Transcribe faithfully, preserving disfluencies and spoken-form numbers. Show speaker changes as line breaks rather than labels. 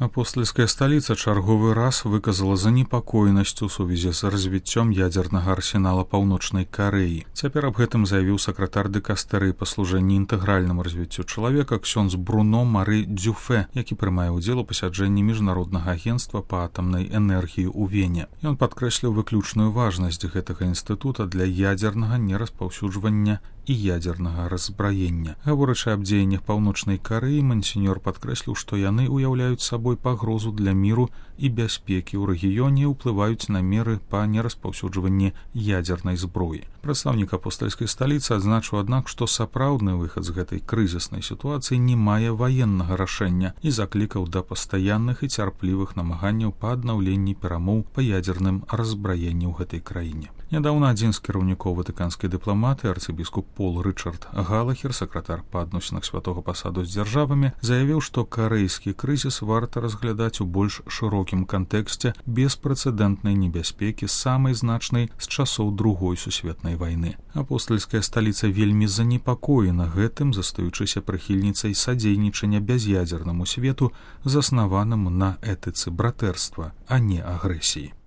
Апостольская сталіца чарговы раз выказала занепакоенасць у сувязі з развіццём ядзернага арсенала Паўночнай Карэі. Цяпер аб гэтым заявіў сакратар дэкастэрыі па служэнні інтэгральнаму развіццю чалавека ксёндз Бруно Мары Дзюфе, які прымае ўдзел у пасяджэнні міжнароднага агенцтва па атамнай энергіі ў Вене. Ён падкрэсліў выключную важнасць гэтага інстытута для ядзернага нераспаўсюджвання і ядзернага раззбраення. Гаворачы аб дзеяннях Паўночнай Карэі, мансіньор падкрэсліў, што яны ўяўляюць сабой пагрозу для міру і бяспекі ў рэгіёне і ўплываюць на меры па нераспаўсюджванні ядзернай зброі. Прадстаўнік апостальскай сталіцы адзначыў, аднак, што сапраўдны выхад з гэтай крызіснай сітуацыі не мае ваеннага рашэння і заклікаў да пастаянных і цярплівых намаганняў па аднаўленні перамоў па ядзерным раззбраенні ў гэтай краіне. Нядаўна адзін з кіраўнікоў ватыканскай дыпламаты, арцыбіскуп Пол Рычард Галахер, сакратар па адносінах святога пасаду з дзяржавамі, заявіў, што карэйскі крызіс варта разглядаць у больш шырокім кантэксце беспрэцэдэнтнай небяспекі, самай значнай з часоў другой сусветнай вайны. Апостальская сталіца вельмі занепакоена гэтым, застаючыся прыхільніцай садзейнічання бяз'ядзернаму свету, заснаванаму на этыцы братэрства, а не агрэсіі.